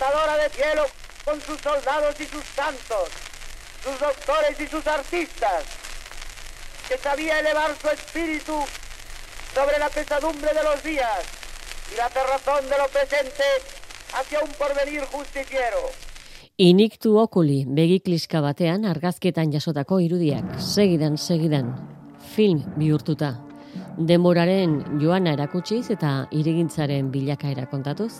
portadora de cielo con sus soldados y sus santos, sus doctores y sus artistas, que sabía elevar su espíritu sobre la pesadumbre de los días y la cerrazón de lo presente hacia un porvenir justiciero. Iniktu okuli begikliska batean argazkietan jasotako irudiak, segidan, film bihurtuta. Denboraren joana erakutsiz eta hirigintzaren bilakaera kontatuz.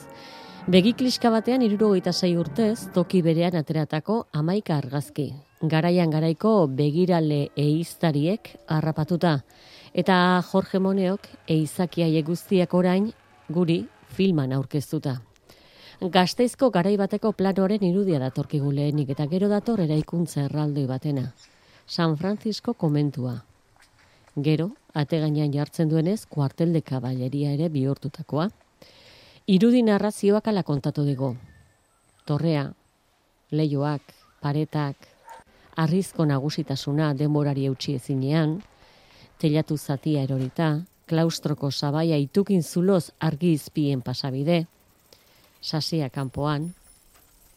Begikliska batean 76 urtez toki berean ateratako 11 argazki. Garaian garaiko begirale ehiztariek harrapatuta. Eta Jorge Moneok ehizakiaie guztiak orain guri filman aurkeztuta. Gasteizko garai bateko planoaren irudia datorkigu lehenik eta gero dator eraikuntza erraldoi batena. San Francisco komentua. Gero, ategainan jartzen duenez, kuartel de kaballeria ere bihurtutakoa. Irudi narrazioak ala kontatu digu. Torrea, leihoak, paretak, arrizko nagusitasuna denborari eutsi ezinean, teilatu zatia erorita, klaustroko sabaia itukin zuloz argi izpien pasabide, sasia kanpoan,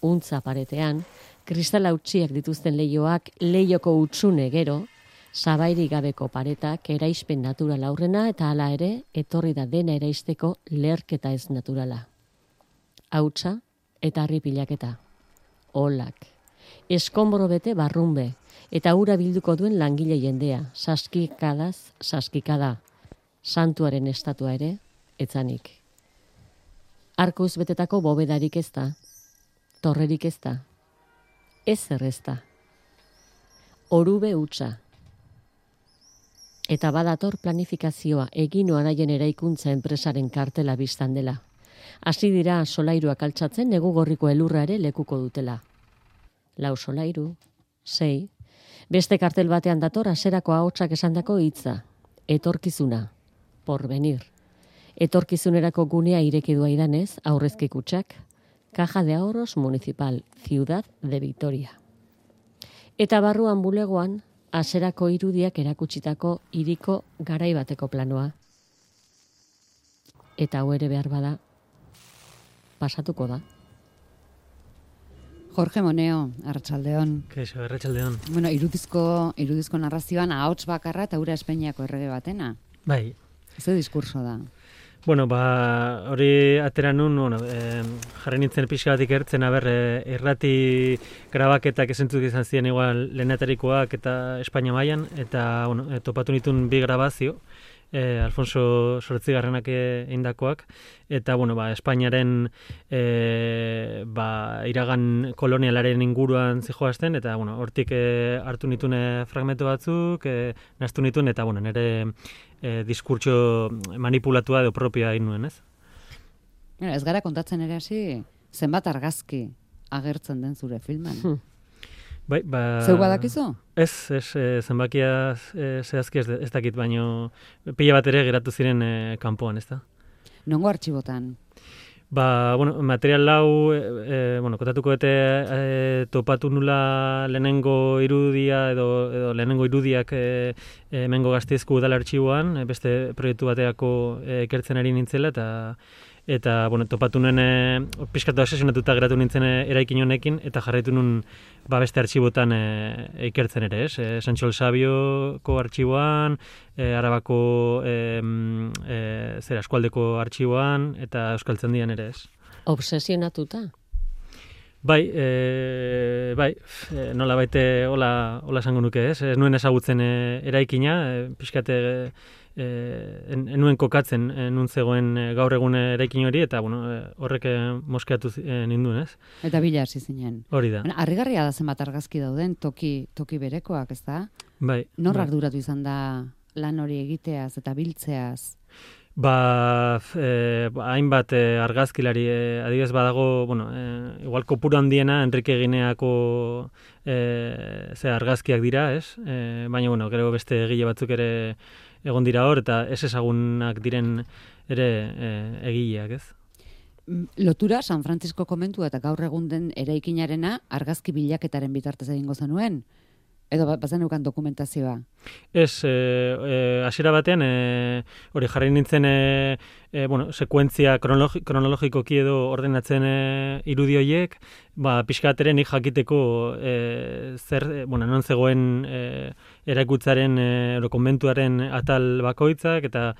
untza paretean, kristala utziak dituzten leihoak, leioko utzune gero, sabairik gabeko paretak eraispen natural aurrena eta hala ere etorri da dena eraisteko leherketa ez naturala. Hautsa eta harri pilaketa. Olak. Eskonboro bete barrunbe eta ura bilduko duen langile jendea. Saskikada. Santuaren estatua ere etzanik. Arkuz betetako bobedarik ez da. Torrerik ez da. Ezer ez da. Orube hutsa. Eta badator planifikazioa eginoa daien eraikuntza enpresaren kartela biztan dela. Hasi dira solairuak altxatzen negu gorriko elurra ere lekuko dutela. 4 solairu, 6, beste kartel batean dator haserako ahotsak esandako hitza. Etorkizuna, porvenir. Etorkizunerako gunea irekidua idanez, aurrezki kutxak, Caja de Ahorros Municipal, Ciudad de Vitoria. Eta barruan bulegoan, haserako irudiak erakutsitako hiriko garai bateko planoa. Eta hau ere behar bada, pasatuko da. Jorge Moneo, arratsaldeon. Kaixo, arratsaldeon. Bueno, irudizko narrazioan ahots bakarra eta ura Espainiako errege batena. Bai. Ze diskurso da? Bueno, hori atera nun, jarri nintzen pixka bat ikertzen, irrati grabaketak esentzuk izan ziren igual lehenatarikoak eta Espainia mailan, eta topatu nituen 2 grabazio, Alfonso Zortzigarrenak eindakoak, eta Espainiaren iragan kolonialaren inguruan zijoazten, eta hortik hartu nituen fragmentu batzuk, naztu nituen, eta nire diskurtso manipulatua edo propioa egin nuen, ez? Ez gara kontatzen ere hasi, zenbat argazki agertzen den zure filman? Bai, Zeu badakizu? Ez, zenbakia zehazki ez dakit, baino pila bat ere geratu ziren kanpoan, ez da? Nongo artxibotan? Material lau, kontatuko topatu nula lehenengo irudia edo lehenengo irudiak hemengo Gasteizko udal artxiboan, beste proiektu bateako ikertzen ari nintzela, eta topatu nuen pixkatu asesionatuta geratu nintzen eraikin honekin, eta jarraitu nuen beste artxibotan ikertzen ere, ez? Santxol Sabioko artxiboan, Arabako eskualdeko artxiboan, eta Euskaltzaindian ere, ez? Obsesionatuta? Bai, nola baite hola esango nuke, ez? Ez nuen ezagutzen eraikina, pixkate enuen kokatzen nun zegoen gaur egun eraikin hori, eta horrek moskeatu ninduen, ez? Eta bila hasi zinen. Hori da. Harrigarria da zenbat argazki dauden toki berekoak, ez da? Bai. Nor arduratu izan da lan hori egiteaz eta biltzeaz? Hainbat argazkilari, adibidez badago, igual kopuru handiena Enrique Gineako argazkiak dira, ez? Baina, gero beste egile batzuk ere egon dira hor, eta ez ezagunak diren ere egileak, ez? Lotura San Francisco komentua eta gaur egun den eraikinarena argazki bilaketaren bitartez egingo zenuen. Edo bazeneukan dokumentazioa? Ez, hasiera batean, hori jarri nintzen, sekuentzia kronologikoki edo ordenatzen irudi horiek, pixkateren nik jakiteko non zegoen eraikutzaren, konbentuaren atal bakoitzak, eta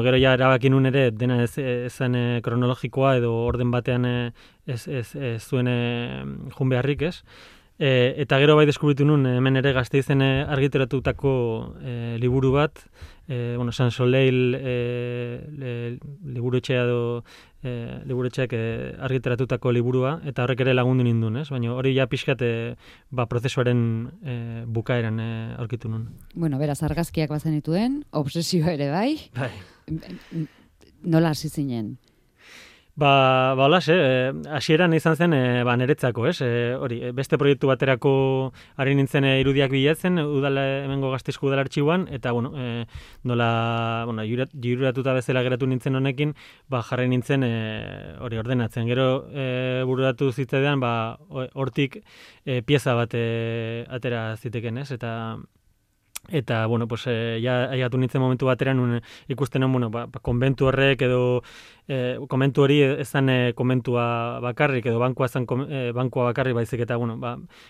gero ja erabaki nun ere dena ezan kronologikoa edo orden batean ez zuen jun beharrik, ez? Eta gero bai deskubritu nun hemen ere Gasteizen argitaratutako liburu bat, San Soleil liburuetxea edo liburuetxeak argitaratutako liburua, eta horrek ere lagundu nindun, ez? Baina hori ja pixkat prozesuaren bukaeran aurkitu nun. Bueno, beraz, argazkiak bazen dituen, obsesioa ere bai. Bai. Nola hasi zinen? Holas, hasieran izan zen niretzako, ez? Hori, beste proiektu baterako ari nintzen irudiak bilatzen, hemengo Gasteizko udal artxiboan, eta nola jiruratuta bezala geratu nintzen honekin, jarri nintzen hori ordenatzen. Gero bururatu zitzaidan, hortik pieza bat atera ziteken, ez? Eta aiatu nintzen momentu bateran ikusten konbentu horrek edo konbentu hori ezan konbentua bakarrik edo bankua bakarrik baizik eta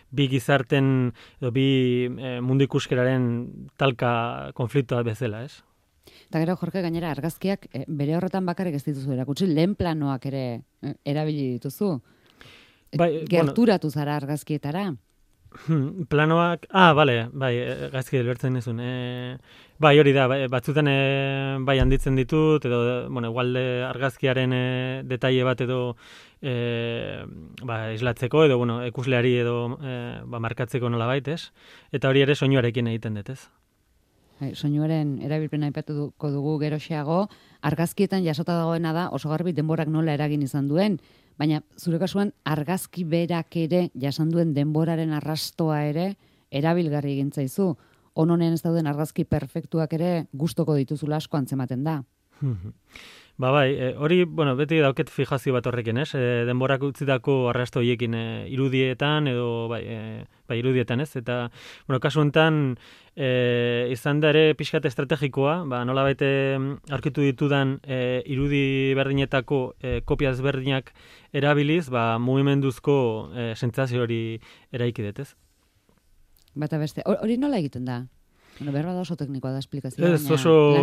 bi gizarten edo bi mundu ikuskeraren talka konfliktoa bezala, ez? Eta gero, Jorge, gainera argazkiak bere horretan bakarrik ez dituzu erakutsi, lehen planoak ere erabili dituzu. Gerturatu zara argazkietara. Planoak, gazki delbertzen nizun. Hori da, batzutan handitzen ditut, edo, igualde argazkiaren detaile bat edo islatzeko, edo, ikusleari edo markatzeko nola baitez. Eta hori ere soinuarekin egiten dut, ez? Soinuaren erabilpena aipatuko dugu geroxeago, argazkietan jasota dagoena da oso garbi denborak nola eragin izan duen, baina zure kasuan argazki berak ere jasan duen denboraren arrastoa ere erabilgarri egin zaizu. Honen ez dauden argazki perfektuak ere gustoko dituzula asko antzematen da. Hori, beti dauket fijazio bat horrekin, ez? Denborak utzitako arrasto horiekin irudietan edo irudietan, ez? Eta, kasu honetan izan da ere pixkat estrategikoa, nola baite aurkitu ditudan irudi berdinetako kopia ezberdinak erabiliz, mugimenduzko sentsazio hori eraiki dut, ez? Bata beste, hori nola egiten da? Berba da oso teknikoa da esplikazioa. Ez, oso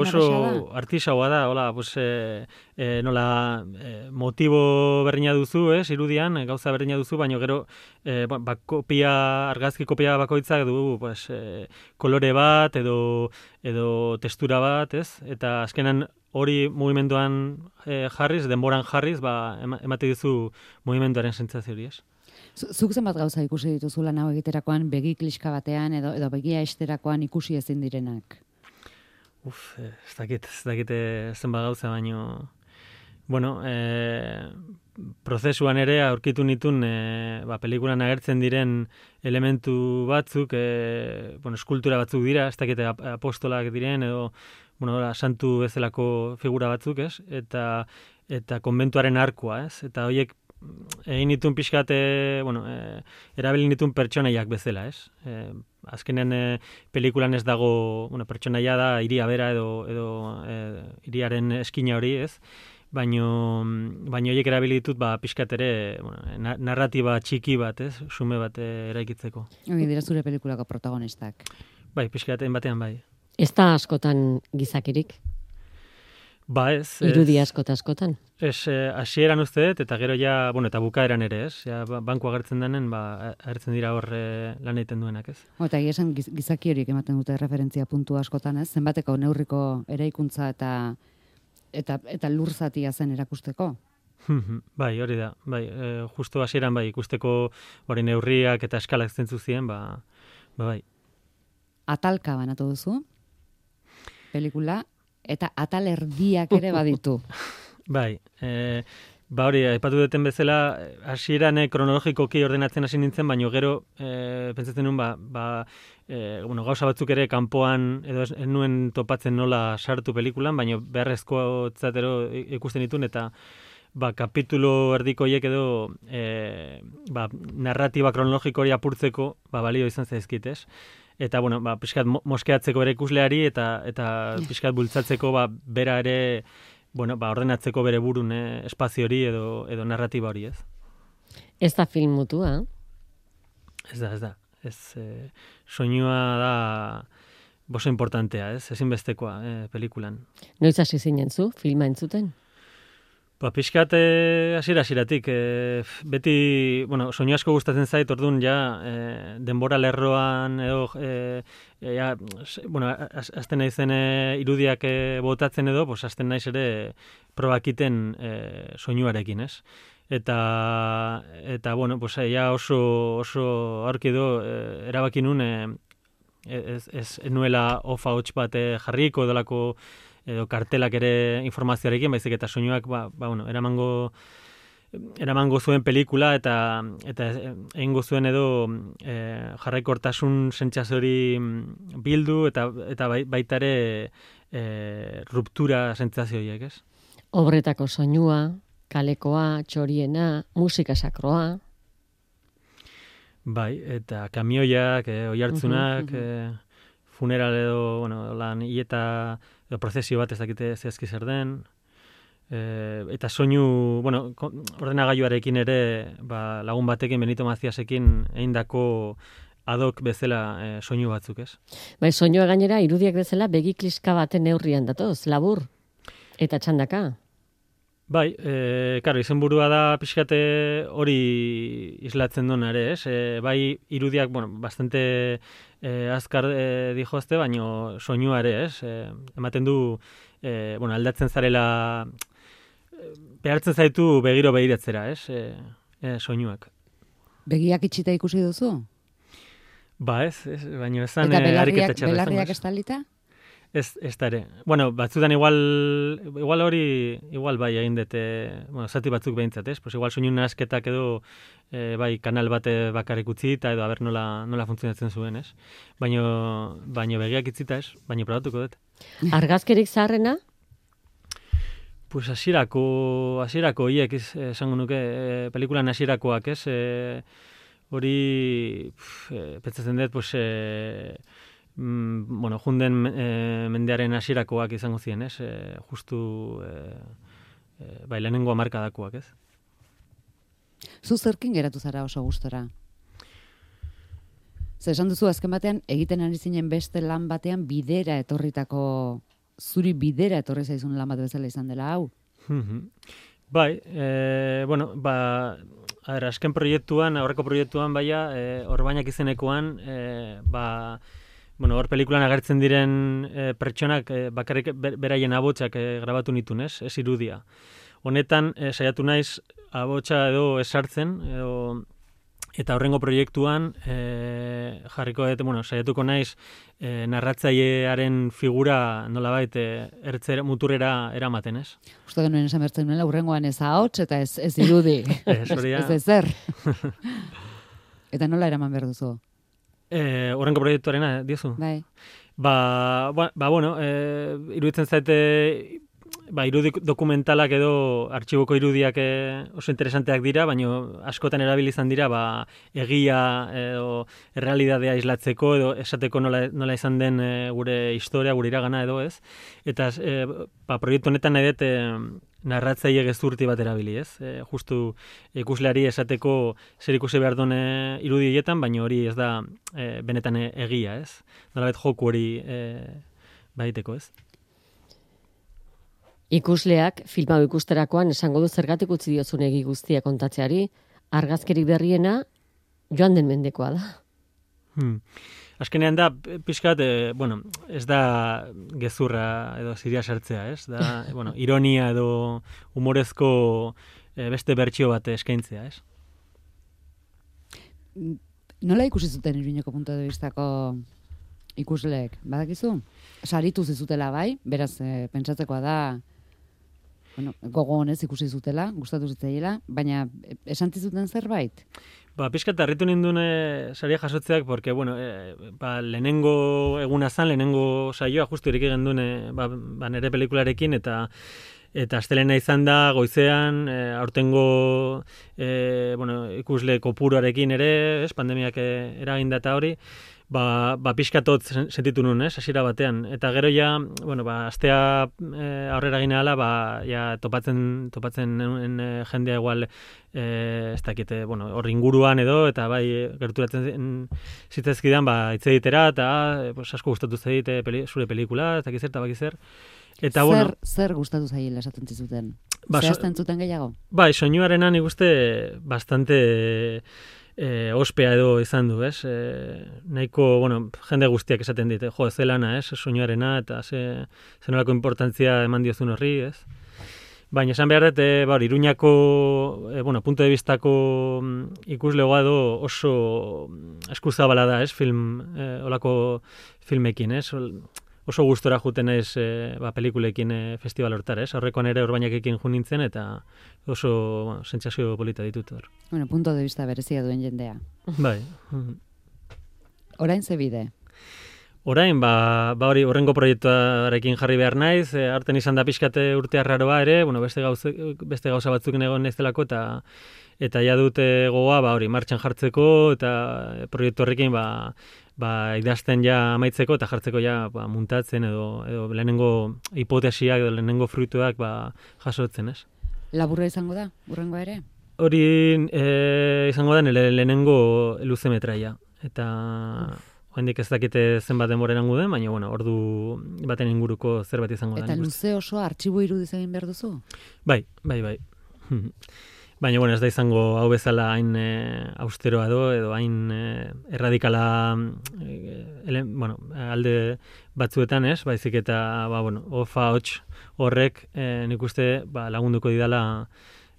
artisaua da, nola motibo berdina duzu, irudian, gauza berdina duzu, baina gero argazki kopia bakoitzak du kolore bat edo textura bat, ez? Eta azkenan hori mugimenduan jarriz, denboran jarriz, emate dizu mugimenduaren sentsazio hori, ez? Zuk zenbat gauza ikusi dituzu lan hau egiterakoan begi kliska batean edo begia esterakoan ikusi ezin direnak? Ez dakit zenbat gauza, baino prozesuan ere aurkitu nitun pelikulan agertzen diren elementu batzuk, eskultura batzuk dira, ez dakit apostolak diren edo santu bezalako figura batzuk, ez? Eta konbentuaren arkua, ez? Eta horiek egin nituen pixkat, erabili nituen pertsonaiak bezala, ez? Azkenean pelikulan ez dago, pertsonaia da hiria bera edo hiriaren eskina hori, ez? Baina horiek erabili ditut pixkat ere narratiba txiki bat, ez? Xume bat eraikitzeko. Hori dira zure pelikulako protagonistak. Bai, pixkaten batean bai. Ez da askotan gizakirik? Ez. Irudi askotan? Ez, hasieran uste dut, eta gero ja, eta bukaeran ere, ez? Ja, banku agertzen denen, agertzen dira hor lan egiten duenak, ez? Eta esan gizaki horiek ematen dute referentzia puntu askotan, ez? Zenbateko neurriko eraikuntza eta lur zatia zen erakusteko? Bai, hori da. Bai, justo hasieran ikusteko hori neurriak eta eskalak zentzu ziren, bai. Atalka banatu duzu, pelikula, eta atal erdiak ere baditu. Bai, hori, aipatu duten bezala, hasieran kronologikoki ordenatzen hasi nintzen, baina gero, pentsatzen nuen, gauza batzuk ere kanpoan, edo ez nuen topatzen nola sartu pelikulan, baina beharrezko ikusten ditun, eta kapitulo erdikoiek edo narratiba kronologiko hori apurtzeko balio izan zaizkit, ez? Eta, bueno, pixkat moskeatzeko bere ikusleari eta pixkat bultzatzeko bera ere, bueno, ordenatzeko bere burun espazio hori edo narratiba hori, ez? Ez da film mutua? Ez da. Soinua da oso importantea, ez? Ezinbestekoa pelikulan. Noiz hasi zinen zu, filma entzuten? Pixkat hasieratik beti, bueno, soinu asko gustatzen zait, orduan denbora lerroan edo bueno, hasten naizen irudiak botatzen edo, hasten naiz ere probakiten soinuarekin, ez? Eta bueno, oso aurki edo erabaki nun ez nuela ofa hots bat jarriko edolako edo kartelak ere informazioarekin, baizik eta soinuak bueno, eramango zuen pelikula eta egingo zuen edo jarraikortasun sentsazio hori bildu eta baita ere ruptura sentsazio horiek, ez? Obretako soinua, kalekoa, txoriena, musika sakroa. Bai, eta kamioiak, oihartzunak, funeral edo, bueno, lan hieta edo prozesio bat ez dakite zehazki zer den. Eta soinu, bueno, ordenagailuarekin ere, lagun batekin, Benito Maziasekin eindako adok bezala soinu batzuk, ez? Bai, soinua gainera irudiak bezala begi kliska baten neurrian datoz, labur eta txandaka. Bai, karo, izenburua da pixkate hori islatzen duen ere, ez? Bai, irudiak, bueno, bastante azkar dijoazte, baino soinua ere, ez? Ematen du, bueno, aldatzen zarela, behartzen zaitu begiro begiratzera, ez? Soinuak. Begiak itxita ikusi duzu? Ba, ez, baino ezan ariketa txarra. Eta belarriak estalita? Ez da ere. Bueno, batzutan igual hori, igual bai egin dute, bueno, zati batzuk behintzat, ez? Pues igual soinu nasketak edo bai kanal bate bakarrik utzi eta edo haber nola funtzionatzen zuen, ez? Baino begiak itzita, ez? Baino probatuko dut. Argazkerik zaharrena? Pues hasierako hiek esango nuke, pelikulan hasierakoak, ez? Hori pentsatzen dut, pues bueno, junden mendearen hasierakoak izango ziren, ez? Justu bai lehenengo hamarkadakoak, ez? Zu zerkin geratu zara oso gustora? Zer esan duzu azken batean egiten ari zinen beste lan batean zuri bidera etorri zaizun lan bat bezala izan dela hau? Bai, bueno, azken proiektuan, aurreko proiektuan baia, Orbainak izenekoan, bueno, hor pelikulan agertzen diren pertsonak bakarrik beraien abotsak grabatu nitun, ez irudia. Honetan, saiatu naiz abotsa edo esartzen, eta horrengo proiektuan jarriko dut, bueno, saiatuko naiz narratzailearen figura nolabait muturrera eramaten, ez? Uste genuen esan bertzen nuela, urrengoan ez ahots eta ez irudi. Ez ezer. Eta nola eraman behar duzu? Horrengo proiektuarena, diozu? Bai. Bueno, iruditzen zaite, irudi dokumentalak edo artxiboko irudiak oso interesanteak dira, baina askotan erabili izan dira, egia edo errealidadea islatzeko edo esateko nola izan den gure historia, gure iragana edo ez. Eta proiektu honetan nahi dut narratzaile gezurti bat erabili, ez? Justu ikusleari esateko zer ikusi behar duen irudietan, baina hori ez da benetan egia, ez? Nolabait joku hori baiteko, ez? Ikusleak filma ikusterakoan esango du zergatik utzi diozun egi guztia kontatzeari, argazkerik berriena joan den mendekoa da. Azkenean da, pixkat, bueno, ez da gezurra edo ziria sartzea, ez? Da, bueno, ironia edo humorezko beste bertsio bat eskaintzea, ez? Nola ikusi zuten Iruñeko punto de vistako ikusleek? Badakizu? Saritu zizutela bai, beraz, pentsatzekoa da, bueno, gogo honez ikusi zutela, gustatu zitzaiela, baina esan zuten zerbait? Pixkat harritu nindun saria jasotzeak, porque, bueno, lehenengo eguna zan, lehenengo saioa, justu irik egin duen nire pelikularekin, eta Eta astelena izan da goizean, aurtengo ikusle kopuruarekin ere, pandemiak eraginda eta hori, pixkatot sentitu nuen, hasiera batean. Eta gero ja, astea aurrera gine ala, ja topatzen jendea igual, ez dakite, hor inguruan edo, eta gerturatzen zitzezkidan, hitz egitera, eta asko gustatu zaite zure pelikula, ez dakizer, eta bakizer. Eta, zer gustatu zaila esaten zizuten? Zehazten zuten gehiago? Soinuarena nik uste bastante ospea edo izan du, ez? Nahiko, jende guztiak esaten dit, zelana, ez? Soinuarena, eta zenolako importantzia eman diozun horri, ez? Baina esan behar dut, Iruñako, punto de vistako ikuslegoa edo oso eskuzabala da, ez? Olako filmekin, ez? Oso gustora juten naiz pelikulekin festival hortara, ez? Aurrekoan ere Orbainakekin jo nintzen eta oso sentsazio polita ditut hor. Punto de vista berezia duen jendea. Bai. Orain ze bide? Orain, hori horrengo proiektuarekin jarri behar naiz, harten izan da pixkate urte arraroa ere, beste gauza batzuk egon naizelako eta ja dute gogoa, hori martxan jartzeko eta proiektu horrekin idazten ja amaitzeko eta jartzeko ja muntatzen edo lehenengo hipotesiak edo lehenengo fruituak jasotzen, ez? Laburra izango da, urrengoa ere? Hori izango da lehenengo luzemetraia. Eta oraindik ez dakite zenbat denbora erango den, baina ordu baten inguruko zerbait izango da. Eta luze oso artxibo irudiz egin behar duzu? Bai. Baina, ez da izango hau bezala hain austeroa edo hain erradikala alde batzuetan, ez? Baizik eta, ofa hots horrek nik uste lagunduko didala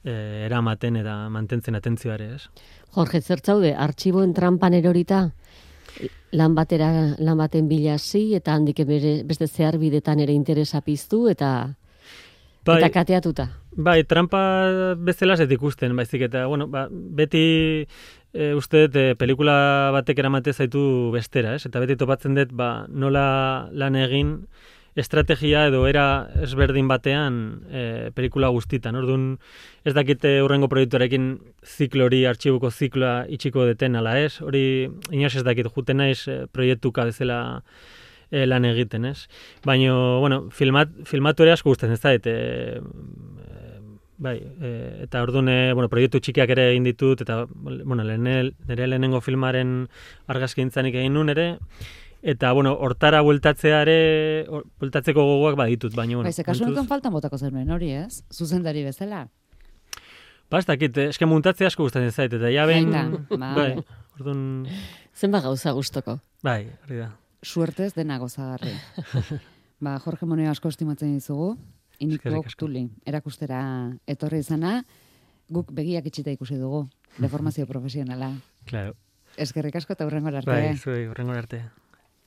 eramaten eta mantentzen atentzioare, ez? Jorge, zertzaude, artxiboen trampan erorita? Lan baten bilasi eta handik beste zehar bidetan ere interesa piztu eta kateatuta. Bai, trampa bezala ez ikusten, baizik eta, beti uste dut pelikula batek eramate zaitu bestera, ez? Eta beti topatzen dut, nola lan egin estrategia edo era ezberdin batean pelikula guztitan. Orduan, ez dakite hurrengo proiektuarekin ziklo hori, artxibuko zikloa itxiko deten ala ez, hori inoz ez dakit, juten naiz proiektuka bezala lan egiten, ez? Baina, filmatu ere asko gustatzen ez da, eta orduan, proiektu txikiak ere egin ditut, eta, nire lehenengo filmaren argazkintzanik egin nun ere, eta, hortara bueltatzeko gogoak baditut, baina, kasu honetan faltan botako zenuen hori, ez? Zuzendari bezala? Ez dakit, eske muntatzea asko gustatzen zait, eta ja behin... Bai, orduan... Zenba gauza gustoko? Bai, hori da. Suertez dena gozagarri. Jorge Moneo asko estimatzen dizugu, Iniko Tuli erakustera etorri izana, guk begiak itxita ikusi dugu, deformazio profesionala. Claro. Eskerrik asko eta hurrengora arte. Bai, zuei, hurrengora arte.